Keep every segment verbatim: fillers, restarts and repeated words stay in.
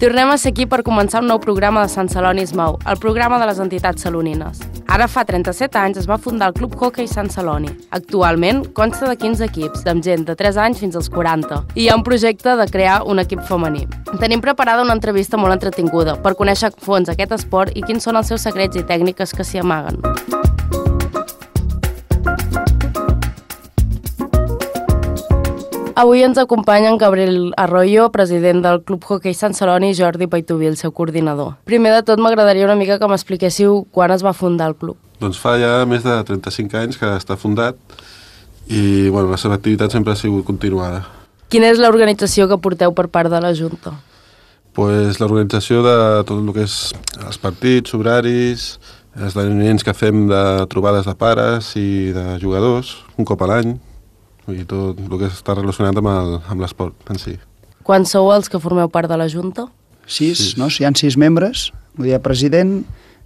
Tornem a ser aquí per començar un nou programa de Sant Celoni es mou, el programa de les entitats salonines. Ara fa trenta-set anys es va fundar el Club Hoquei Sant Celoni. Actualment consta de quinze equips, amb gent de tres anys fins als quaranta, i hi ha un projecte de crear un equip femení. Tenim preparada una entrevista molt entretinguda per conèixer a fons aquest esport i quins són els seus secrets i tècniques que s'hi amaguen. Avui ens acompanyen Gabriel Arroyo, president del Club Hoquei Sant Celoni, i Jordi Paituví, el seu coordinador. Primer de tot, m'agradaria una mica que m'expliquéssiu quan es va fundar el club. Doncs fa ja més de trenta-cinc anys que està fundat i bueno, la seva activitat sempre ha sigut continuada. Quina és l'organització que porteu per part de la Junta? Pues l'organització de tot el que és els partits, horaris, esdeveniments que fem de trobades de pares i de jugadors, un cop a l'any, i tot el que està relacionat amb el, amb l'esport en si. Quan sou els que formeu part de la Junta? Sis, Sis. no? Hi ha sis membres, vull dir, president,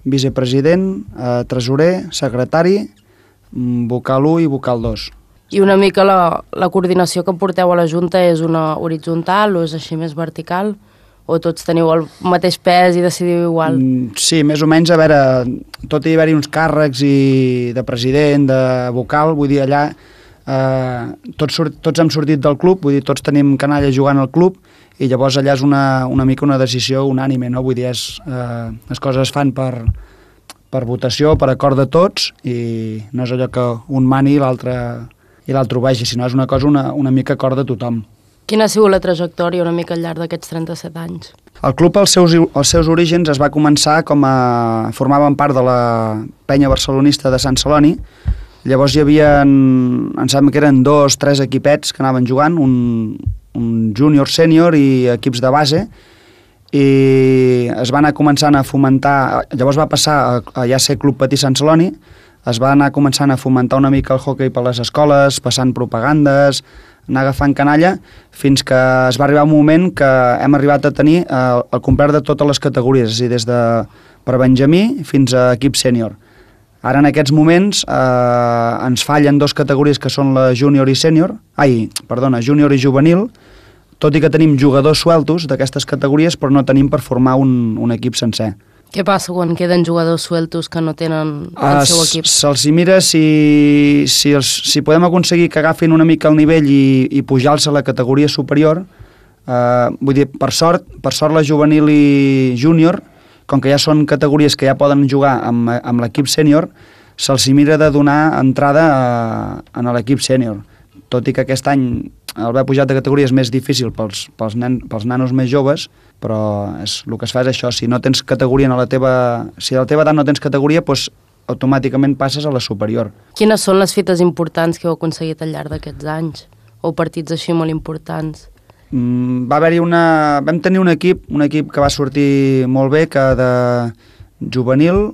vicepresident, eh, tresorer, secretari, vocal u i vocal dos. I una mica la, la coordinació que porteu a la Junta és una horitzontal o és així més vertical? O tots teniu el mateix pes i decidiu igual? Mm, sí, més o menys, a veure, tot hi ha-hi uns càrrecs i de president, de vocal, vull dir, allà eh, tots, surt, tots hem sortit del club, vull dir, tots tenim canalla jugant al club i llavors allà és una, una mica una decisió unànime, no? Vull dir, és, eh, les coses es fan per, per votació, per acord de tots i no és allò que un mani i l'altre i l'altre ho vegi, sinó és una cosa una, una mica acord de tothom. Quina ha sigut la trajectòria una mica al llarg d'aquests trenta-set anys? El club, als seus, als seus orígens, es va començar com a... formaven part de la penya barcelonista de Sant Celoni. Llavors hi havia, em sembla que eren dos, tres equipets que anaven jugant, un, un júnior, sènior i equips de base, i es va anar començant a fomentar, llavors va passar a, a ja ser Club Patí Sant Celoni, es va anar començant a fomentar una mica el hoquei per les escoles, passant propagandes, anar agafant canalla, fins que es va arribar un moment que hem arribat a tenir el, el complet de totes les categories, és a dir, des de per benjamí fins a equip sènior. Ara, en aquests moments, eh, ens fallen dues categories que són la júnior i sènior, ai, perdona, júnior i juvenil, tot i que tenim jugadors sueltos d'aquestes categories, però no tenim per formar un, un equip sencer. Què passa quan queden jugadors sueltos que no tenen el seu equip? Se'ls hi mira si, si, els, si podem aconseguir que agafin una mica el nivell i, i pujar-los a la categoria superior. Eh, vull dir, per sort, per sort la juvenil i júnior, com que ja són categories que ja poden jugar amb, amb l'equip sènior, se'ls hi mira de donar entrada a, a l'equip sènior. Tot i que aquest any el haver pujat de categoria és més difícil pels, pels, nen, pels nanos més joves, però és, el que es fa és això, si no tens categoria a la teva... Si a la teva edat no tens categoria, doncs automàticament passes a la superior. Quines són les fites importants que heu aconseguit al llarg d'aquests anys? O partits així molt importants? Mm, va haver-hi una... Vam tenir un equip, un equip que va sortir molt bé, que de juvenil,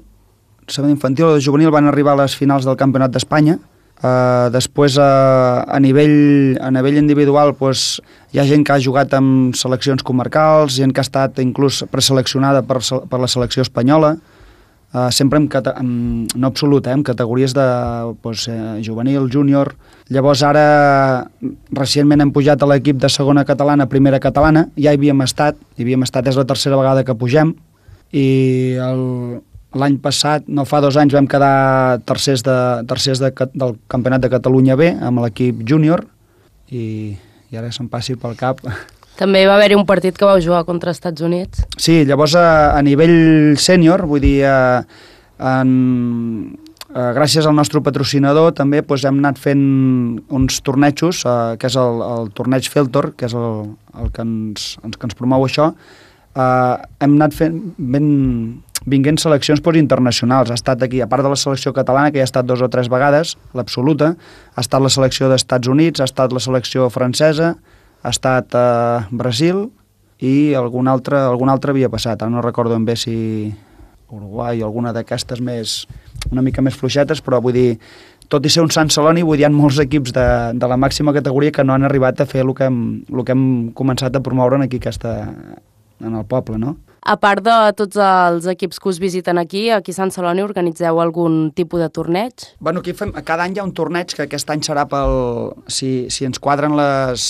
segon infantil o de juvenil van arribar a les finals del Campionat d'Espanya. Uh, després uh, a, nivell, a nivell individual pues, hi ha gent que ha jugat amb seleccions comarcals, gent que ha estat inclús preseleccionada per, per la selecció espanyola, uh, sempre en, en, no absolut, eh, en categories de pues, eh, juvenil, júnior. Llavors ara recentment hem pujat a l'equip de segona catalana, primera catalana, ja hi havíem estat, hi havíem estat, és la tercera vegada que pugem, i el... L'any passat, no fa dos anys, vam quedar tercers, de, tercers de, del Campionat de Catalunya B amb l'equip júnior i, i ara se'm passi pel cap. També va haver-hi un partit que vau jugar contra els Estats Units. Sí, llavors a, a nivell sènior, vull dir, a, en, a, gràcies al nostre patrocinador també doncs, hem anat fent uns tornejos, a, que és el, el torneig Feltor, que és el, el que, ens, el que ens promou això. A, hem anat fent... Ben, vinguent seleccions pues, internacionals. Ha estat aquí, a part de la selecció catalana, que ja ha estat dos o tres vegades, l'absoluta, ha estat la selecció d'Estats Units, ha estat la selecció francesa, ha estat eh, Brasil i algun altre, algun altre havia passat. Ara no recordo ben bé si Uruguai o alguna d'aquestes més, una mica més fluixetes, però vull dir, tot i ser un Sant Celoni, vull dir, hi ha molts equips de, de la màxima categoria que no han arribat a fer el que hem, el que hem començat a promoure aquí aquesta, en el poble, no? A part de tots els equips que us visiten aquí, aquí a Sant Celoni organitzeu algun tipus de torneig? Bueno, aquí fem, cada any hi ha un torneig que aquest any serà pel... Si, si ens quadren les,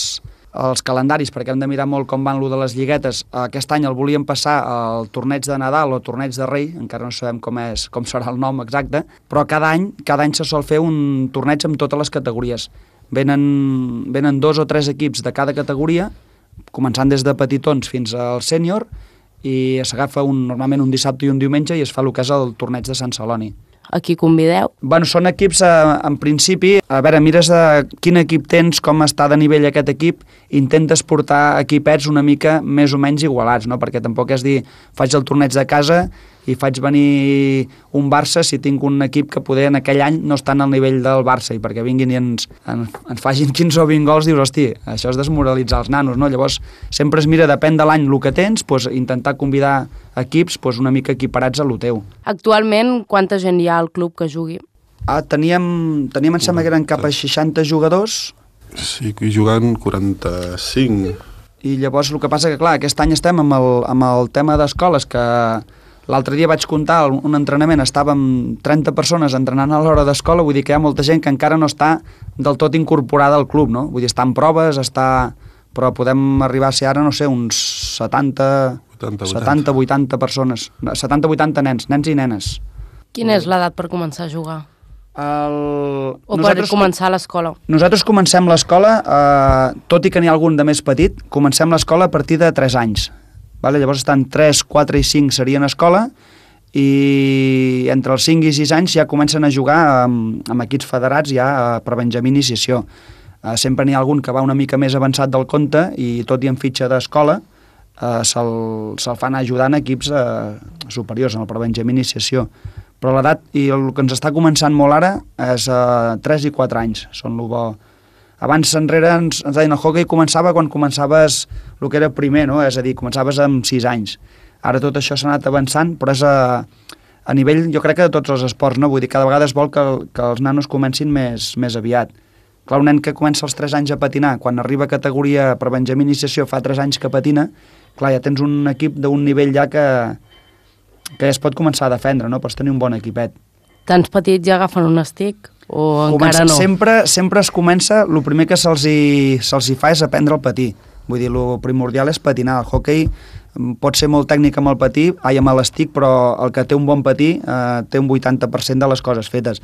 els calendaris, perquè hem de mirar molt com van lo de les lliguetes. Aquest any el volíem passar al torneig de Nadal o torneig de Rei, encara no sabem com és, com serà el nom exacte, però cada any, cada any se sol fer un torneig amb totes les categories. Venen, venen dos o tres equips de cada categoria, començant des de petitons fins al sènior, i s'agafa un, normalment un dissabte i un diumenge i es fa el que és el torneig de Sant Celoni. A qui convideu? Bueno, són equips, eh, en principi, a veure, mires de quin equip tens, com està de nivell aquest equip, intentes portar equipets una mica més o menys igualats, no? Perquè tampoc és dir, faig el torneig de casa i faig venir un Barça si tinc un equip que poder en aquell any no està al nivell del Barça, i perquè vinguin i ens, en, ens facin quinze o vint gols, dius, hosti, això és desmoralitzar els nanos, no? Llavors, sempre es mira, depèn de l'any el que tens, doncs, intentar convidar equips doncs, una mica equiparats a lo teu. Actualment, quanta gent hi ha al club que jugui? Ah, teníem, teníem, em sembla que eren cap a seixanta jugadors. Sí, que jugant quaranta-cinc. I llavors el que passa que, clar, aquest any estem amb el, amb el tema d'escoles, que l'altre dia vaig comptar un entrenament, estàvem trenta persones entrenant a l'hora d'escola, vull dir que hi ha molta gent que encara no està del tot incorporada al club, no? Vull dir, està en proves, està... però podem arribar a ser ara, no sé, uns setanta, setanta vuitanta persones, setanta vuitanta nens, nens i nenes. Quina és l'edat per començar a jugar? El... O nosaltres, per començar l'escola? Nosaltres comencem l'escola, eh, tot i que n'hi ha algun de més petit, comencem l'escola a partir de tres anys. Vale? Llavors estan tres, quatre i cinc serien escola, i entre els cinc i sis anys ja comencen a jugar amb, amb equips federats ja per Benjamí Iniciació. Uh, sempre n'hi ha algun que va una mica més avançat del compte i tot i en fitxa d'escola uh, se'l se fan ajudant equips uh, superiors en el Benjamí Iniciació. Però l'edat, i el que ens està començant molt ara, és uh, tres i quatre anys, són el bo. Abans enrere ens, ens deien el hockey començava quan començaves el que era primer, no? És a dir, començaves amb sis anys. Ara tot això s'ha anat avançant, però és a, a nivell, jo crec que de tots els esports, no? Vull dir, cada vegada es vol que, que els nanos comencin més, més aviat. Clar, un nen que comença als tres anys a patinar, quan arriba a categoria per Benjamí Iniciació fa tres anys que patina, clar, ja tens un equip d'un nivell ja que, que ja es pot començar a defendre, no? Pots tenir un bon equipet. Tants petits ja agafen un estic? O Comença, encara no? Sempre, sempre es comença, el primer que se'ls hi, se'ls hi fa és aprendre el patí. Vull dir, el primordial és patinar. El hockey pot ser molt tècnic amb el patí, ai, amb l'estic, però el que té un bon patí eh, té un vuitanta per cent de les coses fetes.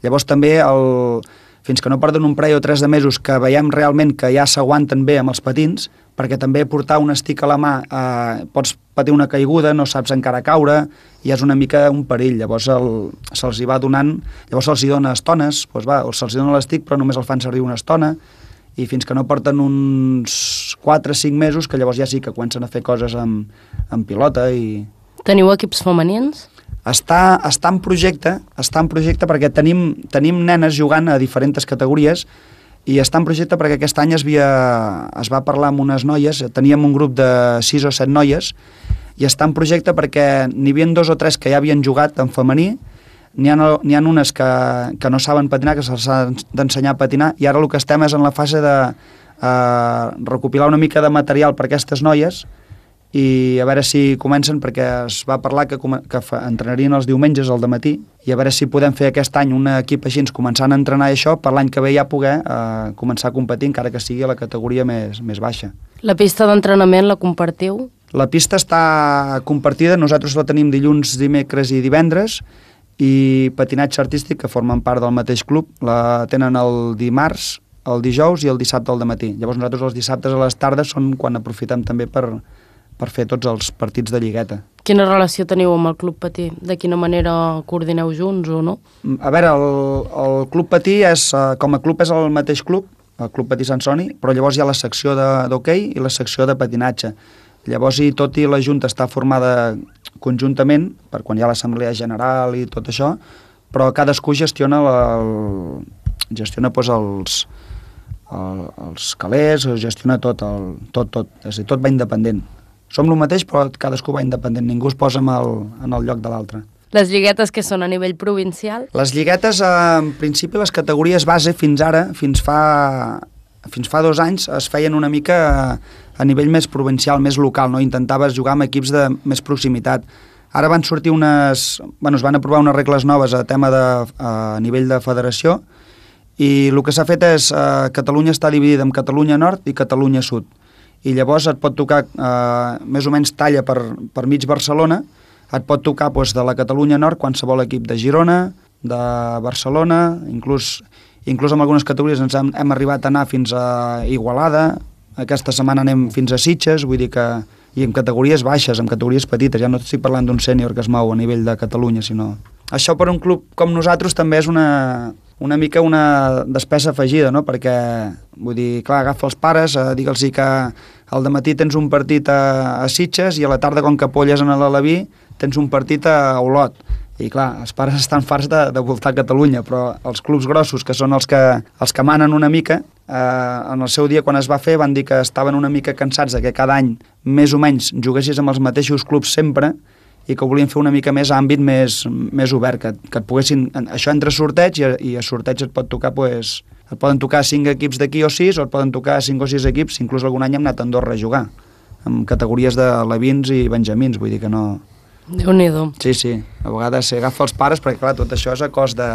Llavors també el... fins que no perden un parell o tres de mesos que veiem realment que ja s'aguanten bé amb els patins, perquè també portar un estic a la mà, eh, pots patir una caiguda, no saps encara caure, i és una mica un perill. Llavors se'ls hi va donant, llavors se'ls hi dona estones, doncs va, se'ls hi dona l'estic però només el fan servir una estona, i fins que no porten uns quatre o cinc mesos que llavors ja sí que comencen a fer coses amb, amb pilota. I... Teniu equips femenins? Està, està en projecte, està en projecte perquè tenim, tenim nenes jugant a diferents categories, i està en projecte perquè aquest any es, havia, es va parlar amb unes noies, teníem un grup de sis o set noies, i està en projecte perquè n'hi havia dos o tres que ja havien jugat en femení, n'hi ha, n'hi ha unes que, que no saben patinar, que se'ls ha d'ensenyar a patinar, i ara el que estem és en la fase de eh, recopilar una mica de material per a aquestes noies, i a veure si comencen, perquè es va parlar que, que entrenarien els diumenges al dematí, i a veure si podem fer aquest any un equip així començant a entrenar això per l'any que ve ja poder eh, començar a competir, encara que sigui a la categoria més, més baixa. La pista d'entrenament la compartiu? La pista està compartida, nosaltres la tenim dilluns, dimecres i divendres, i patinatge artístic, que formen part del mateix club, la tenen el dimarts, el dijous i el dissabte al dematí. Llavors nosaltres els dissabtes a les tardes són quan aprofitem també per per fer tots els partits de lligueta. Quina relació teniu amb el Club Patí? De quina manera coordineu junts o no? A veure, el, el Club Patí és, com a club és el mateix club, el Club Patí Sant Celoni, però llavors hi ha la secció d'hoquei i la secció de patinatge. Llavors, i tot i la Junta està formada conjuntament, per quan hi ha l'assemblea general i tot això, però cadascú gestiona, la, el, gestiona doncs, els, el, els calés, gestiona tot, el, tot, tot, és a dir, tot va independent. Som el mateix, però cadascú va independent, ningú es posa en el, en el lloc de l'altre. Les lliguetes que són a nivell provincial? Les lliguetes, en principi, les categories base fins ara, fins fa, fins fa dos anys, es feien una mica a, a nivell més provincial, més local, no? Intentaves jugar amb equips de més proximitat. Ara van sortir unes... Bueno, es van aprovar unes regles noves a tema de, a nivell de federació, i el que s'ha fet és, eh, Catalunya està dividida en Catalunya Nord i Catalunya Sud, i llavors et pot tocar, eh, més o menys talla per, per mig Barcelona, et pot tocar doncs, de la Catalunya Nord qualsevol equip de Girona, de Barcelona, inclús, inclús en algunes categories ens hem, hem arribat a anar fins a Igualada, aquesta setmana anem fins a Sitges, vull dir que, i en categories baixes, en categories petites, ja no estic parlant d'un sènior que es mou a nivell de Catalunya, sinó... Això per un club com nosaltres també és una, una mica una despesa afegida, no? Perquè, vull dir, clar, agafa els pares, eh, digue'ls que al dematí tens un partit a, a Sitges i a la tarda, com que polles en l'Alaví, tens un partit a Olot. I clar, els pares estan farts de, de voltar a Catalunya, però els clubs grossos, que són els que, els que manen una mica, eh, en el seu dia quan es va fer van dir que estaven una mica cansats de que cada any més o menys juguessis amb els mateixos clubs sempre i que volien fer una mica més àmbit més, més obert, que, que et poguessin... Això entre sorteig i, i a sorteig et pot tocar, pues, et poden tocar cinc equips d'aquí o sis, o et poden tocar cinc o sis equips, inclús algun any hem anat a Andorra a jugar, amb categories de levins i benjamins, vull dir que no... Déu-n'hi-do. Sí, sí, a vegades s'agafa els pares, perquè clar, tot això és a cost de...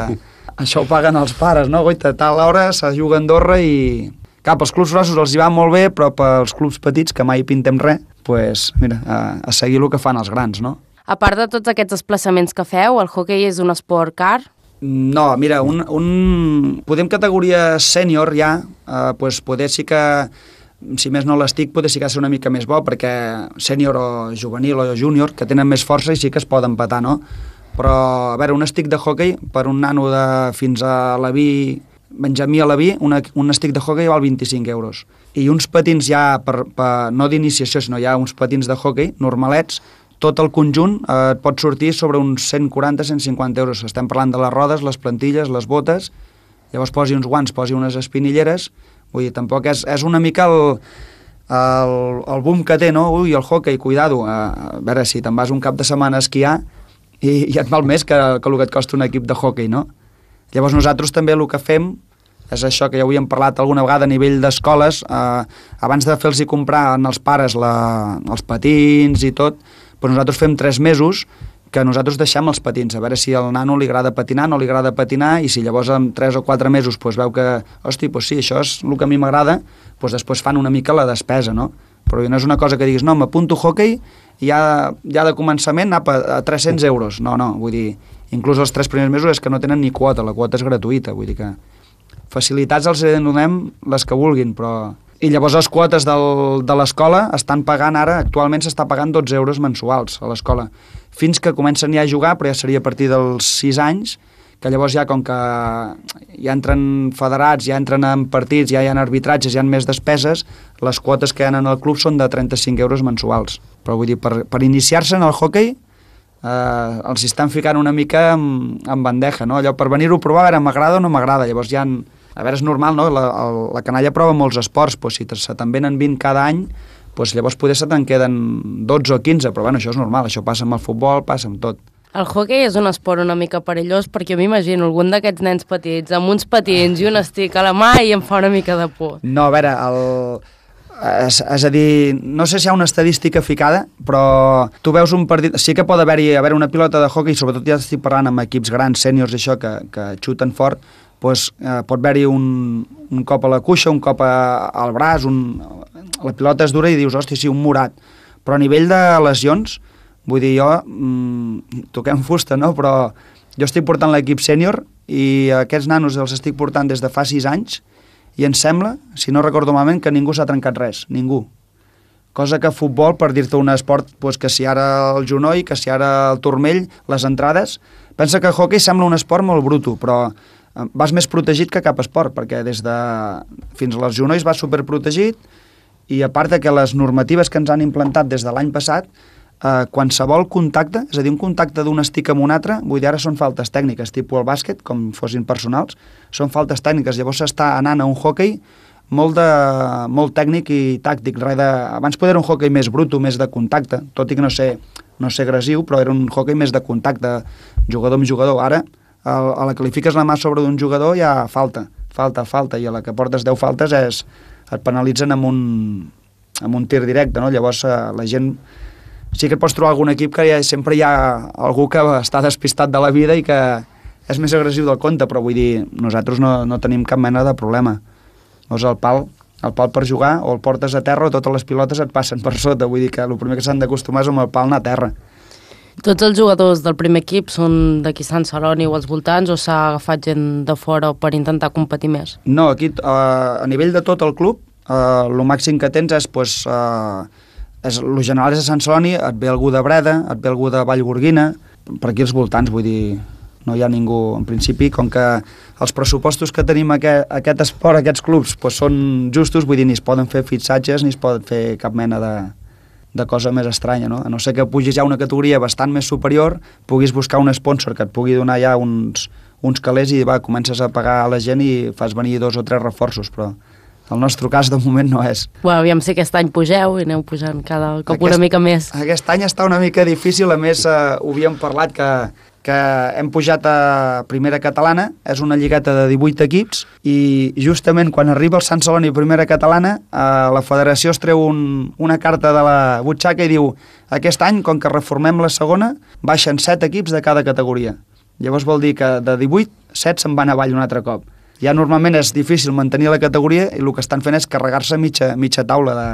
Això ho paguen els pares, no? Goita, a tal hora se juga a Andorra i... Cap, els clubs grossos els hi va molt bé, però pels clubs petits, que mai pintem res, pues, mira, a, a seguir el que fan els grans, no? A part de tots aquests desplaçaments que feu, el hoquei és un esport car? No, mira, un, un... podem categoria sènior ja, eh, pues poder sí que, si més no l'estic, poder sí que ha de ser una mica més bo, perquè sènior o juvenil o júnior, que tenen més força i sí que es poden petar, no? Però, a veure, un stick de hoquei, per un nano de fins a Leví, Benjamí a Leví, una, un stick de hoquei val vint-i-cinc euros. I uns patins ja, per, per, no d'iniciació, sinó ja uns patins de hoquei normalets, tot el conjunt eh, et pot sortir sobre uns cent quaranta a cent cinquanta euros. Estem parlant de les rodes, les plantilles, les botes, llavors posi uns guants, posi unes espinilleres, vull dir, tampoc és, és una mica el, el, el boom que té, no? Ui, el hoquei, cuidado, a, a veure, si te'n vas un cap de setmana a esquiar i, i et val més que, que el que et costa un equip de hoquei, no? Llavors nosaltres també el que fem és això que ja ho havíem parlat alguna vegada a nivell d'escoles, eh, abans de fer-los comprar als pares la, els patins i tot, però nosaltres fem tres mesos que nosaltres deixem els patins, a veure si al nano li agrada patinar, no li agrada patinar, i si llavors en tres o quatre mesos pues, veu que, hosti, pues sí, això és el que a mi m'agrada, pues després fan una mica la despesa, no? Però no és una cosa que diguis, no, m'apunto hoquei i ja, ja de començament anar a tres-cents euros. No, no, vull dir, inclús els tres primers mesos és que no tenen ni quota, la quota és gratuïta, vull dir que facilitats els donem les que vulguin, però... I llavors les quotes del, de l'escola estan pagant ara, actualment s'està pagant dotze euros mensuals a l'escola, fins que comencen ja a jugar, però ja seria a partir dels sis anys, que llavors ja com que ja entren federats, ja entren en partits, ja hi ha arbitratges, hi ha més despeses, les quotes que hi ha en el club són de trenta-cinc euros mensuals. Però vull dir, per, per iniciar-se en el hoquei, eh, els estan ficant una mica en, en bandeja, no? Allò per venir-ho a provar, a veure, m'agrada o no m'agrada, llavors ja... En, a veure, és normal, no? La, la canalla prova molts esports, doncs si se te'n venen vint cada any, doncs llavors poder se te'n queden dotze o quinze, però bueno, això és normal, això passa amb el futbol, passa amb tot. El hoquei és un esport una mica perillós perquè m'imagino algun d'aquests nens petits amb uns patins i un estic a la mà i em fa una mica de por. No, a veure, el... És, és a dir, no sé si hi ha una estadística ficada, però tu veus un partit... Sí que pot haver-hi haver una pilota de hoquei, sobretot ja estic parlant amb equips grans, sèniors i això, que, que xuten fort, doncs, eh, pot haver-hi un, un cop a la cuixa, un cop a, al braç, un, la pilota és dura i dius, hòstia, sí, un morat. Però a nivell de lesions, vull dir, jo, mmm, toquem fusta, no? Però jo estic portant l'equip sènior i aquests nanos els estic portant des de fa sis anys i em sembla, si no recordo malament, que ningú s'ha trencat res, ningú. Cosa que futbol, per dir-te un esport, doncs que si ara el genoll, que si ara el turmell, les entrades... Pensa que hoquei sembla un esport molt bruto, però vas més protegit que cap esport, perquè des de fins als genolls vas superprotegit i a part de que les normatives que ens han implantat des de l'any passat, eh, qualsevol contacte, és a dir, un contacte d'un estic amb un altre, vull dir, ara són faltes tècniques, tipus el bàsquet, com fossin personals, són faltes tècniques, llavors s'està anant a un hoquei molt, de, molt tècnic i tàctic, res de, abans poder era un hoquei més bruto, més de contacte, tot i que no sé, no sé agressiu, però era un hoquei més de contacte, jugador amb jugador, ara a la que li fiques la mà sobre d'un jugador ja falta, falta, falta, i a la que portes deu faltes és, et penalitzen amb un, amb un tir directe, no? Llavors la gent, sí que et pots trobar algun equip que ja, sempre hi ha algú que està despistat de la vida i que, és més agressiu del compte, però vull dir, nosaltres no, no tenim cap mena de problema. Llavors el pal, el pal per jugar, o el portes a terra o totes les pilotes et passen per sota, vull dir que el primer que s'han d'acostumar és amb el pal anar a terra. Tots els jugadors del primer equip són d'aquí Sant Celoni o als voltants, o s'ha agafat gent de fora per intentar competir més? No, aquí uh, a nivell de tot el club, uh, el màxim que tens és, pues, uh, és, el general és a Sant Celoni, et ve algú de Breda, et ve algú de Vallgorguina, per aquí als voltants, vull dir, no hi ha ningú, en principi, com que els pressupostos que tenim aquest, aquest esport, aquests clubs, pues, són justos, vull dir, ni es poden fer fitxatges, ni es pot fer cap mena de, de cosa més estranya, no? A no ser que pugis ja a una categoria bastant més superior, puguis buscar un sponsor que et pugui donar ja uns, uns calés i va, comences a pagar a la gent i fas venir dos o tres reforços, però el nostre cas de moment no és. Bueno, aviam si aquest any pugeu i aneu pujant cada cop aquest, una mica més. Aquest any està una mica difícil, a més eh, ho havíem parlat que que hem pujat a Primera Catalana, és una lligueta de divuit equips, i justament quan arriba el Sant Celoni Primera Catalana, eh, la federació es treu un, una carta de la butxaca i diu aquest any, com que reformem la segona, baixen set equips de cada categoria. Llavors vol dir que de divuit, set se'n van avall un altre cop. Ja normalment és difícil mantenir la categoria i el que estan fent és carregar-se mitja, mitja taula de...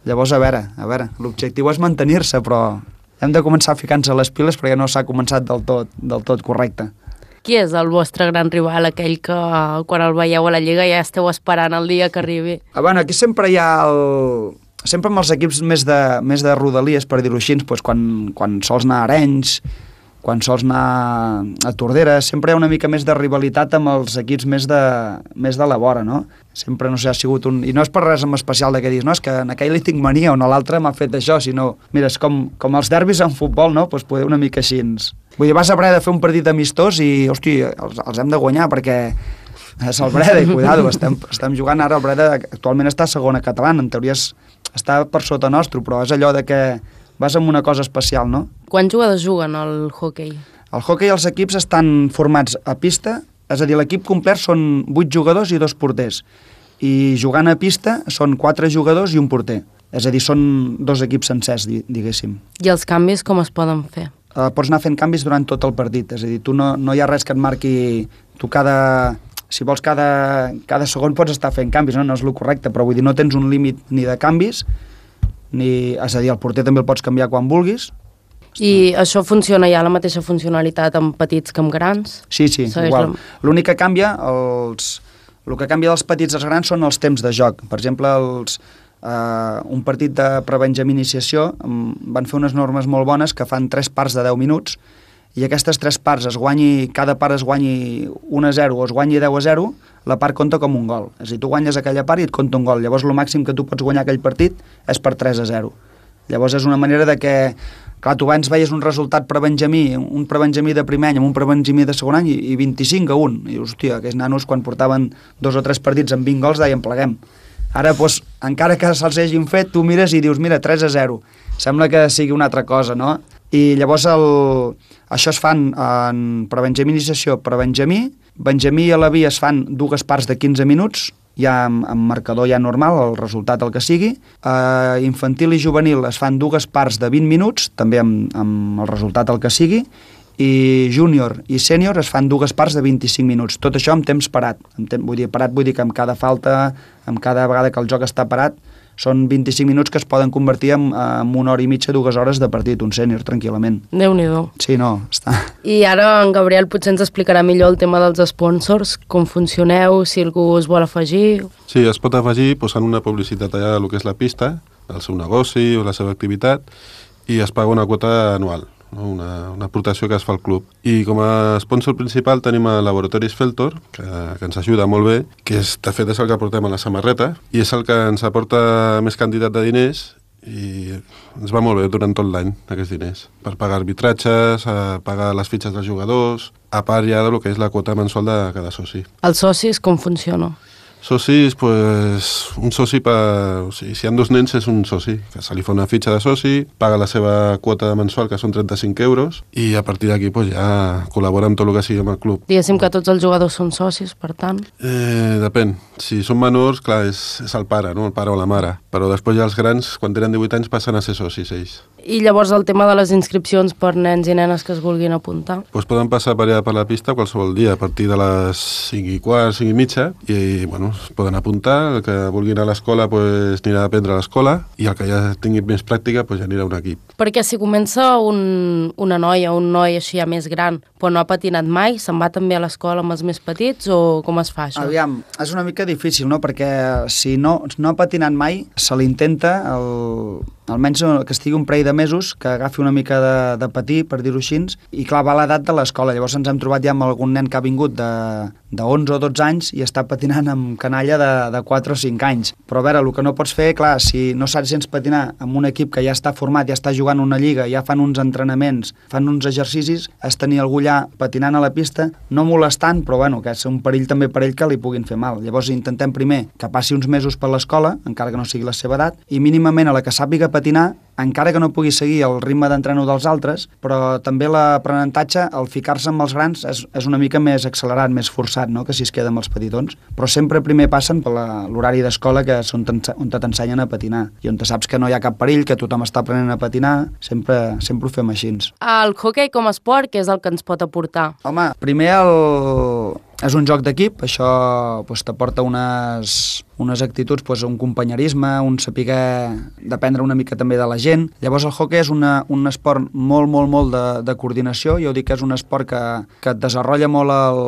Llavors, a veure, a veure, l'objectiu és mantenir-se, però hem de començar a ficar-nos a les piles perquè no s'ha començat del tot, del tot correcte. Qui és el vostre gran rival, aquell que quan el veieu a la Lliga ja esteu esperant el dia que arribi? Ah, bueno, aquí sempre hi ha el... Sempre amb els equips més de, més de rodalies, per dir-ho així, doncs quan, quan sols anar a Arenys, quan sols anar a Tordera, sempre hi ha una mica més de rivalitat amb els equips més de, més de la vora, no? Sempre, no sé, ha sigut un... I no és per res en especial de què dius, no, és que en aquell li tinc mania o en l'altre m'ha fet això, sinó... Mira, és com, com els derbis en futbol, no? Doncs pues poder una mica així. Vull dir, vas a Breda a fer un partit amistós i, hosti, els, els hem de guanyar perquè és el Breda i, cuidado, estem, estem jugant ara, el Breda actualment està a segona catalana, en teoria és, està per sota nostre, però és allò de que vas amb una cosa especial, no? Quants jugadors juguen al hoquei? El hoquei, els equips estan formats a pista, és a dir, l'equip complet són vuit jugadors i dos porters. I jugant a pista són quatre jugadors i un porter. És a dir, són dos equips sencers, diguéssim. I els canvis com es poden fer? Uh, pots anar fent canvis durant tot el partit. És a dir, tu no, no hi ha res que et marqui... Tu cada... Si vols cada, cada segon pots estar fent canvis, no? No és el correcte, però vull dir, no tens un límit ni de canvis, ni, és a dir, el porter també el pots canviar quan vulguis. I això funciona ja, la mateixa funcionalitat amb petits que amb grans? Sí, sí, Segueix igual. La... L'únic que canvia, els... el que canvia dels petits als grans són els temps de joc. Per exemple, els, eh, un partit de prebenjamí iniciació um, van fer unes normes molt bones que fan tres parts de deu minuts i aquestes tres parts, es guanyi, cada part es guanyi un a zero o es guanyi deu a zero, la part compta com un gol. És a dir, tu guanyes aquella part i et compta un gol. Llavors, el màxim que tu pots guanyar aquell partit és per tres a zero. Llavors, és una manera de que, clar, tu abans veies un resultat prebenjamí, un prebenjamí de primer any amb un prebenjamí de segon any i, i vint-i-cinc a un. I, hòstia, aquells nanos, quan portaven dos o tres partits amb vint gols, deien pleguem. Ara, doncs, encara que se'ls hagin fet, tu mires i dius, mira, tres a zero. Sembla que sigui una altra cosa, no? I llavors el... això es fan en prebenjamí iniciació, prebenjamí, benjamí i alaví es fan dues parts de quinze minuts, ja amb, amb marcador ja normal, el resultat el que sigui. Uh, infantil i juvenil es fan dues parts de vint minuts, també amb, amb el resultat el que sigui, i júnior i sènior es fan dues parts de vint-i-cinc minuts. Tot això amb temps parat. Amb temps, vull dir, parat vull dir que amb cada falta, amb cada vegada que el joc està parat, són vint-i-cinc minuts que es poden convertir en, en una hora i mitja, dues hores de partit, un sènior, tranquil·lament. Déu-n'hi-do. Sí, no, està... I ara en Gabriel potser ens explicarà millor el tema dels sponsors, com funcioneu, si algú us vol afegir... Sí, es pot afegir posant una publicitat allà del que és la pista, el seu negoci o la seva activitat, i es paga una quota anual, no? una, una aportació que es fa al club. I com a sponsor principal tenim el Laboratoris Feltor, que, que ens ajuda molt bé, que és, de fet és el que portem a la samarreta, i és el que ens aporta més quantitat de diners, i ens va molt bé durant tot l'any, aquests diners, per pagar arbitratges, a pagar les fitxes dels jugadors, a part ja del que és la quota mensual de cada soci. Els socis com funciona? Socis, pues, un soci per... O sigui, si hi ha dos nens és un soci, que se li fa una fitxa de soci, paga la seva quota mensual, que són trenta-cinc euros, i a partir d'aquí pues, ja col·labora amb tot el que sigui amb el club. Diguéssim que tots els jugadors són socis, per tant? Eh, depèn. Si són menors, clar, és, és el pare, no? El pare o la mare. Però després ja els grans, quan tenen divuit anys, passen a ser socis ells. I llavors el tema de les inscripcions per nens i nenes que es vulguin apuntar? Pues poden passar per allà per la pista qualsevol dia, a partir de les cinc i quart, cinc i mitja, i bueno, es poden apuntar, el que vulgui anar a l'escola pues, anirà a aprendre a l'escola, i el que ja tingui més pràctica pues, ja anirà a un equip. Perquè si comença un, una noia, un noi així ja més gran, però no ha patinat mai, se'n va també a l'escola amb els més petits, o com es fa això? Aviam, és una mica difícil, no?, perquè si no, no ha patinat mai, se l'intenta, el, almenys que estigui un parell de mesos, que agafi una mica de, de patir, per dir-ho així, i clar, va a l'edat de l'escola. Llavors ens hem trobat ja amb algun nen que ha vingut de, de onze o dotze anys i està patinant amb canalla de, de quatre o cinc anys. Però a veure, el que no pots fer, clar, si no saps gens patinar amb un equip que ja està format, ja està jugant una lliga, ja fan uns entrenaments, fan uns exercicis, és tenir algú allà patinant a la pista, no molestant, però bueno, que és un perill també per ell que li puguin fer mal. Llavors intentem primer que passi uns mesos per l'escola, encara que no sigui la seva edat, i mínimament a la que sàpiga patinar, encara que no pugui seguir el ritme d'entreno dels altres, però també l'aprenentatge, el ficar-se amb els grans, és, és una mica més accelerat, més forçat, no?, que si es queda amb els petitons. Però sempre primer passen per l'horari d'escola, que és on t'ensenyen a patinar, i on te saps que no hi ha cap perill, que tothom està aprenent a patinar, sempre, sempre ho fem així. El hoquei com a esport, què és el que ens pot aportar? Home, primer el... és un joc d'equip, això pues, t'aporta unes, unes actituds, pues, un companyerisme, un saber dependre una mica també de la gent. Llavors el hoquei és una, un esport molt, molt, molt de, de coordinació. Jo dic que és un esport que, que et desenvolupa molt el,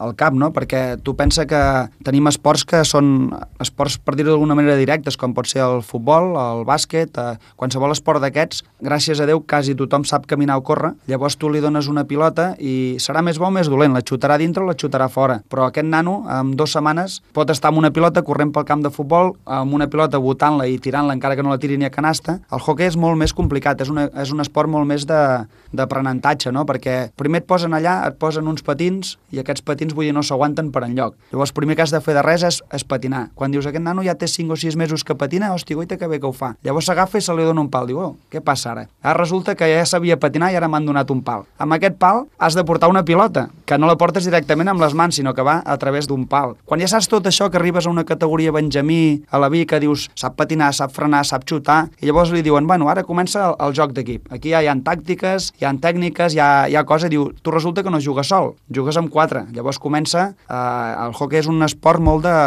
el cap, no? Perquè tu pensa que tenim esports que són esports, per dir-ho d'alguna manera, directes, com pot ser el futbol, el bàsquet, eh, qualsevol esport d'aquests, gràcies a Déu, quasi tothom sap caminar o córrer. Llavors tu li dones una pilota i serà més bo o més dolent, la xutarà dintre o la xutarà fora, però aquest nano en dues setmanes pot estar amb una pilota corrent pel camp de futbol, amb una pilota botant-la i tirant-la encara que no la tiri ni a canasta. El hoquei és molt més complicat, és, una, és un esport molt més d'aprenentatge, no? Perquè primer et posen allà, et posen uns patins i aquests patins, vull dir, no s'aguanten per enlloc. Llavors, primer que has de fer de res és, és patinar. Quan dius, aquest nano ja té cinc o sis mesos que patina, hòstia, goita, que bé que ho fa. Llavors s'agafa i se li dona un pal. Diu, oh, què passa ara? Ara resulta que ja sabia patinar i ara m'han donat un pal. Amb aquest pal has de portar una pilota, que no la portes directament amb les mans, sinó que va a través d'un pal. Quan ja saps tot això, que arribes a una categoria Benjamí, a la B, que dius, sap patinar, sap frenar, sap xutar, i llavors li diuen, bueno, ara comença el, el joc d'equip. Aquí ja hi ha tàctiques, hi ha tècniques, hi ha, hi ha cosa, i diu, tu resulta que no jugues sol, jugues amb quatre. Llavors comença, eh, el hoquei és un esport molt de...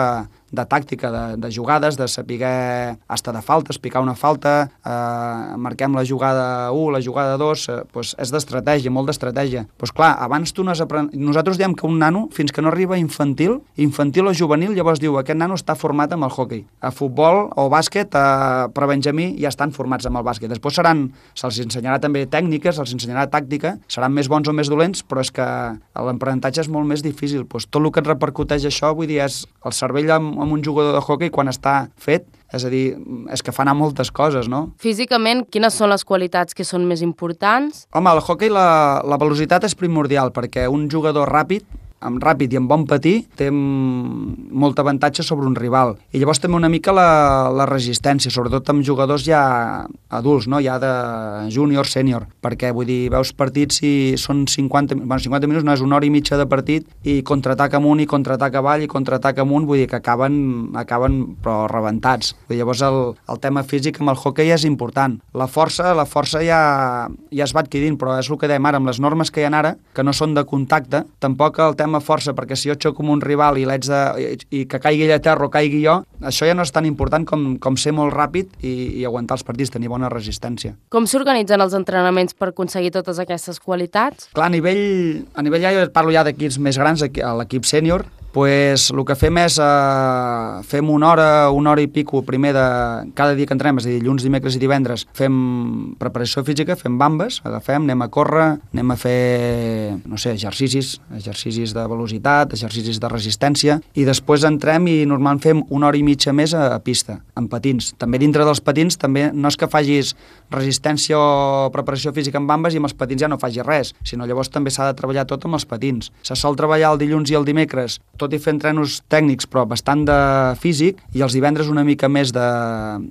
de tàctica, de, de jugades, de saber estar de faltes, picar una falta, eh, marquem la jugada u, la jugada dos, eh, pues és d'estratègia, molt d'estratègia. Pues clar, abans tu no has apren... Nosaltres diem que un nano, fins que no arriba infantil, infantil o juvenil, llavors diu, aquest nano està format amb el hoquei. A futbol o bàsquet, eh, per Benjamí, ja estan formats amb el bàsquet. Després seran, se'ls ensenyarà també tècniques, se'ls ensenyarà tàctica, seran més bons o més dolents, però és que l'aprenentatge és molt més difícil. Pues tot el que et repercuteix això, vull dir, és el cervell amb amb un jugador de hoquei quan està fet, és a dir, és que fa anar moltes coses, no? Físicament, quines són les qualitats que són més importants? Home, al hoquei la, la velocitat és primordial, perquè un jugador ràpid, amb ràpid i amb bon patí, té molt avantatge sobre un rival. I llavors també una mica la, la resistència, sobretot amb jugadors ja adults, no? Ja de júnior, sènior, perquè vull dir, veus partits i són cinquanta, bueno, cinquanta minuts, no és una hora i mitja de partit, i contraatac amunt i contraatac avall i contraatac amunt, vull dir que acaben, acaben però rebentats. Vull dir, llavors el, el tema físic amb el hoquei és important. La força, la força ja, ja es va adquirint, però és el que dèiem ara, amb les normes que hi ha ara, que no són de contacte, tampoc el tema força, perquè si jo xoco amb un rival i l'haig de... I, i que caigui ell a terra o caigui jo, això ja no és tan important com, com ser molt ràpid i, i aguantar els partits, tenir bona resistència. Com s'organitzen els entrenaments per aconseguir totes aquestes qualitats? Clar, a nivell, a nivell ja, jo parlo ja d'equips més grans, a l'equip sènior, pues, el que fem és eh, fem una hora, una hora i pico primer de cada dia que entrenem, és a dir, dilluns, dimecres i divendres, fem preparació física, fem bambes, agafem, anem a córrer, anem a fer, no sé, exercicis, exercicis de velocitat, exercicis de resistència, i després entrem i normalment fem una hora i mitja més a, a pista, amb patins. També dintre dels patins, també no és que facis resistència o preparació física amb bambes i amb els patins ja no facis res, sinó llavors també s'ha de treballar tot amb els patins. Se sol treballar el dilluns i el dimecres, tot tot i fer entrenos tècnics, però bastant de físic, i els divendres una mica més de,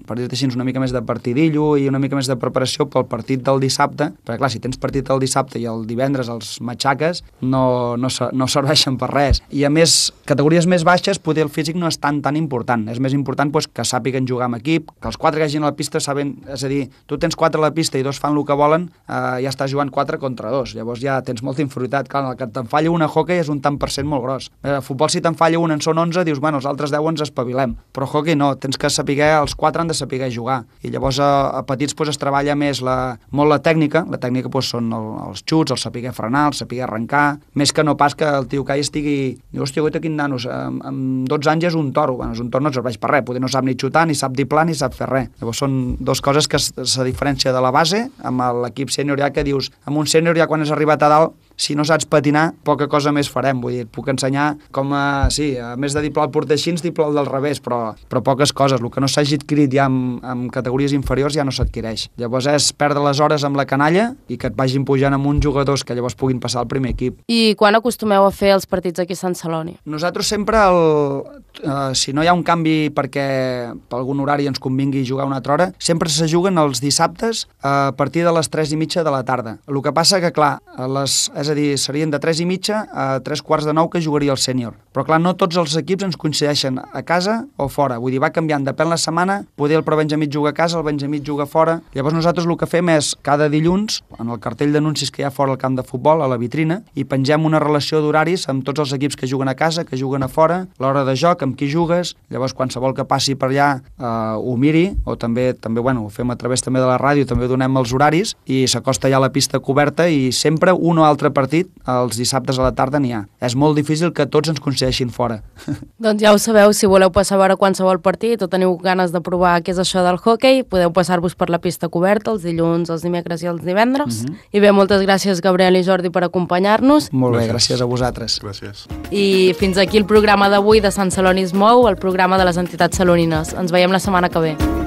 per dir-te així, una mica més de partidillo i una mica més de preparació pel partit del dissabte, perquè clar, si tens partit el dissabte i el divendres els matxaques, no, no, no serveixen per res. I a més, categories més baixes, poder el físic no és tan tan important. És més important pues, que sàpiguen jugar amb equip, que els quatre que hagin a la pista saben, és a dir, tu tens quatre a la pista i dos fan el que volen, eh, ja estàs jugant quatre contra dos. Llavors ja tens molta inferioritat. Clar, el que te'n falla una a hockey és un tant per cent molt gros. A futbol, si te'n falla una en són onze, dius, bueno, els altres deu ens espavilem. Però hockey no, tens que saber, els quatre han de saber jugar. I llavors a, a petits pues, es treballa més la, molt la tècnica. La tècnica pues, són el, els xuts, el saber frenar, el saber arrencar, més que no pas que el tio que hi estigui, diu, hòstia, guaita, quin nanos, amb, amb dotze anys és un toro. Bueno, és un toro no et serveix per res, poder no sap ni xutar, ni sap diplar, ni sap fer res. Llavors són dues coses que se diferència de la base, amb l'equip sènior ja que dius, amb un sènior ja quan has arribat a dalt, si no saps patinar, poca cosa més farem. Vull dir, et puc ensenyar com a, sí, a més de diplar el porter així, diplar el del revés, però, però poques coses. El que no s'hagi adquirit ja amb, amb categories inferiors ja no s'adquireix. Llavors és perdre les hores amb la canalla i que et vagin pujant amb uns jugadors que llavors puguin passar al primer equip. I quan acostumeu a fer els partits aquí a Sant Celoni? Nosaltres sempre, el, eh, si no hi ha un canvi perquè per algun horari ens convingui jugar una altra hora, sempre se juguen els dissabtes a partir de les tres i mitja de la tarda. El que passa que, clar, a les, és a dir, serien de tres i mitja a tres quarts de nou que jugaria el sènior. Però, clar, no tots els equips ens coincideixen a casa o fora. Vull dir, va canviant, depèn la setmana, poder el prebenjamí juga a casa, el benjamí juga fora. Llavors nosaltres el que fem és, cada dilluns, en el cartell d'anuncis que hi ha fora al camp de futbol, a la vitrina, i pengem una relació d'horaris amb tots els equips que juguen a casa, que juguen a fora, l'hora de joc, amb qui jugues, llavors qualsevol que passi per allà eh, ho miri, o també, també bueno, ho fem a través també de la ràdio, també donem els horaris, i s'acosta ja a la pista coberta, i sempre un o altre partit, els dissabtes a la tarda n'hi ha. És molt difícil que tots ens coincideixin fora. Doncs ja ho sabeu, si voleu passar a veure qualsevol partit o teniu ganes de provar què és això del hoquei, podeu passar-vos per la pista coberta els dilluns, els dimecres i els divendres. Uh -huh. I bé, moltes gràcies Gabriel i Jordi per acompanyar-nos. Molt bé, gràcies a vosaltres. Gràcies. I fins aquí el programa d'avui de Sant Celoni es mou, el programa de les entitats salonines. Ens veiem la setmana que ve.